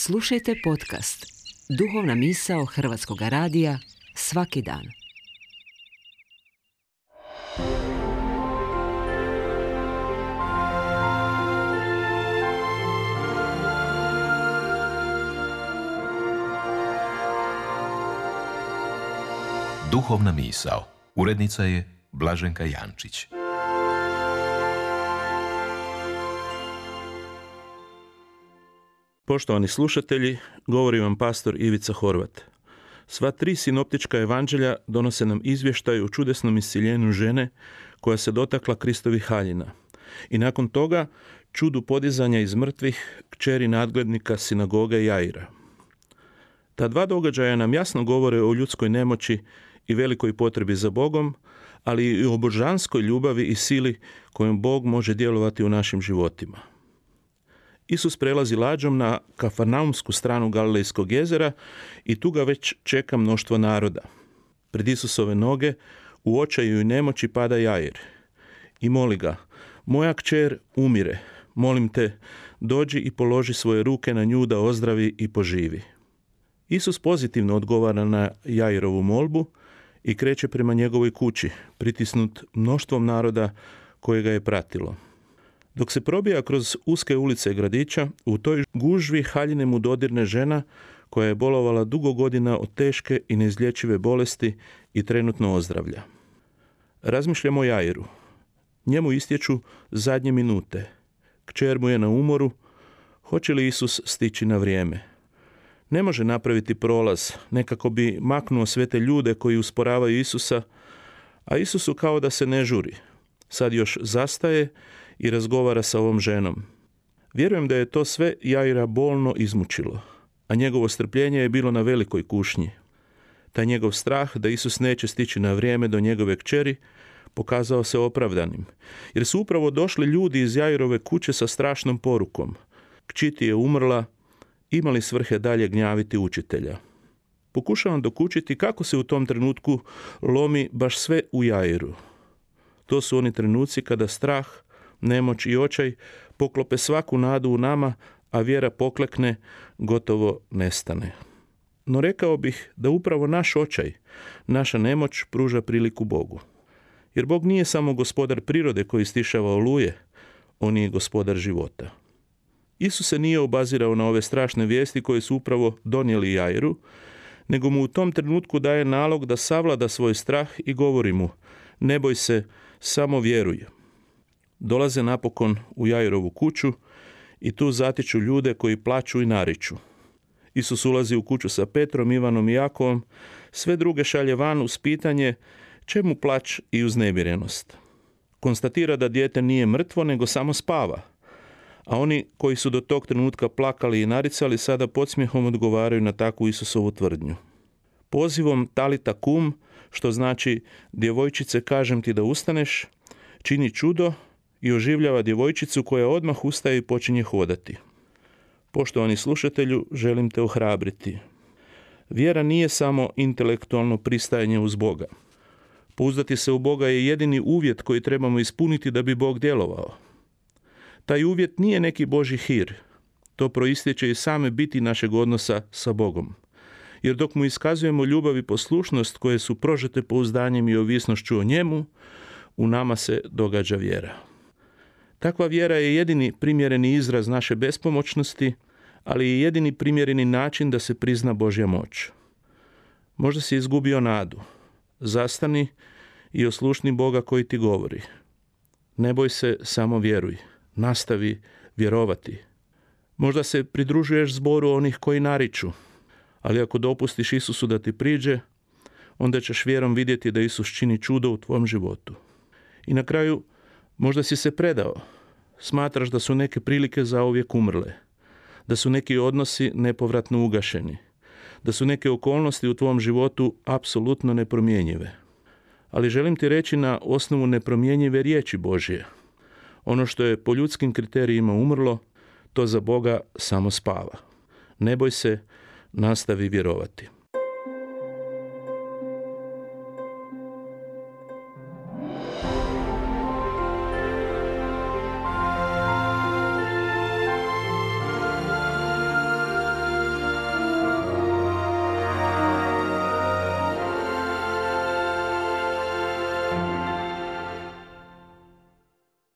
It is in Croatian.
Slušajte podcast Duhovna misao Hrvatskog radija svaki dan. Duhovna misao. Urednica je Blaženka Jančić. Poštovani slušatelji, govori vam pastor Ivica Horvat. Sva tri sinoptička evanđelja donose nam izvještaj o čudesnom iscjeljenju žene koja se dotakla Kristovih haljina. I nakon toga čudu podizanja iz mrtvih kćeri nadglednika sinagoge Jaira. Ta dva događaja nam jasno govore o ljudskoj nemoći i velikoj potrebi za Bogom, ali i o božanskoj ljubavi i sili kojom Bog može djelovati u našim životima. Isus prelazi lađom na Kafarnaumsku stranu Galilejskog jezera i tu ga već čeka mnoštvo naroda. Pred Isusove noge u očaju i nemoći pada Jair i moli ga: moja kćer umire, molim te, dođi i položi svoje ruke na nju da ozdravi i poživi. Isus pozitivno odgovara na Jairovu molbu i kreće prema njegovoj kući, pritisnut mnoštvom naroda koje ga je pratilo. Dok se probija kroz uske ulice gradića, u toj gužvi haljine mu dodirne žena koja je bolovala dugo godina od teške i neizlječive bolesti i trenutno ozdravlja. Razmišljamo o Jairu. Njemu istječu zadnje minute. Kćer mu je na umoru. Hoće li Isus stići na vrijeme? Ne može napraviti prolaz, nekako bi maknuo sve te ljude koji usporavaju Isusa, a Isusu kao da se ne žuri. Sad još zastaje i razgovara sa ovom ženom. Vjerujem da je to sve Jaira bolno izmučilo, a njegovo strpljenje je bilo na velikoj kušnji. Taj njegov strah da Isus neće stići na vrijeme do njegove kćeri pokazao se opravdanim, jer su upravo došli ljudi iz Jairove kuće sa strašnom porukom: kći ti je umrla, ima li svrhe dalje gnjaviti učitelja? Pokušavam dokučiti kako se u tom trenutku lomi baš sve u Jairu. To su oni trenuci kada strah, nemoć i očaj poklope svaku nadu u nama, a vjera poklekne, gotovo nestane. No rekao bih da upravo naš očaj, naša nemoć pruža priliku Bogu. Jer Bog nije samo gospodar prirode koji stišava oluje, on je gospodar života. Isus se nije obazirao na ove strašne vijesti koje su upravo donijeli Jairu, nego mu u tom trenutku daje nalog da savlada svoj strah i govori mu: ne boj se, samo vjeruj. Dolaze napokon u Jairovu kuću i tu zatiču ljude koji plaču i nariču. Isus ulazi u kuću sa Petrom, Ivanom i Jakovom, sve druge šalje van uz pitanje čemu plać i uznemirenost. Konstatira da dijete nije mrtvo nego samo spava, a oni koji su do tog trenutka plakali i naricali sada podsmjehom odgovaraju na takvu Isusovu tvrdnju. Pozivom talita kum, što znači djevojčice kažem ti da ustaneš, čini čudo i oživljava djevojčicu koja odmah ustaje i počinje hodati. Poštovani slušatelju, želim te ohrabriti. Vjera nije samo intelektualno pristajanje uz Boga. Pouzdati se u Boga je jedini uvjet koji trebamo ispuniti da bi Bog djelovao. Taj uvjet nije neki Božji hir. To proistječe iz same biti našeg odnosa sa Bogom. Jer dok mu iskazujemo ljubav i poslušnost koje su prožete pouzdanjem i ovisnošću o njemu, u nama se događa vjera. Takva vjera je jedini primjereni izraz naše bespomoćnosti, ali i jedini primjereni način da se prizna Božja moć. Možda si izgubio nadu. Zastani i oslušni Boga koji ti govori: ne boj se, samo vjeruj. Nastavi vjerovati. Možda se pridružuješ zboru onih koji nariču, ali ako dopustiš Isusu da ti priđe, onda ćeš vjerom vidjeti da Isus čini čudo u tvom životu. I na kraju, možda si se predao. Smatraš da su neke prilike zauvijek umrle, da su neki odnosi nepovratno ugašeni, da su neke okolnosti u tvom životu apsolutno nepromjenjive. Ali želim ti reći na osnovu nepromjenjive riječi Božje: ono što je po ljudskim kriterijima umrlo, to za Boga samo spava. Ne boj se, nastavi vjerovati.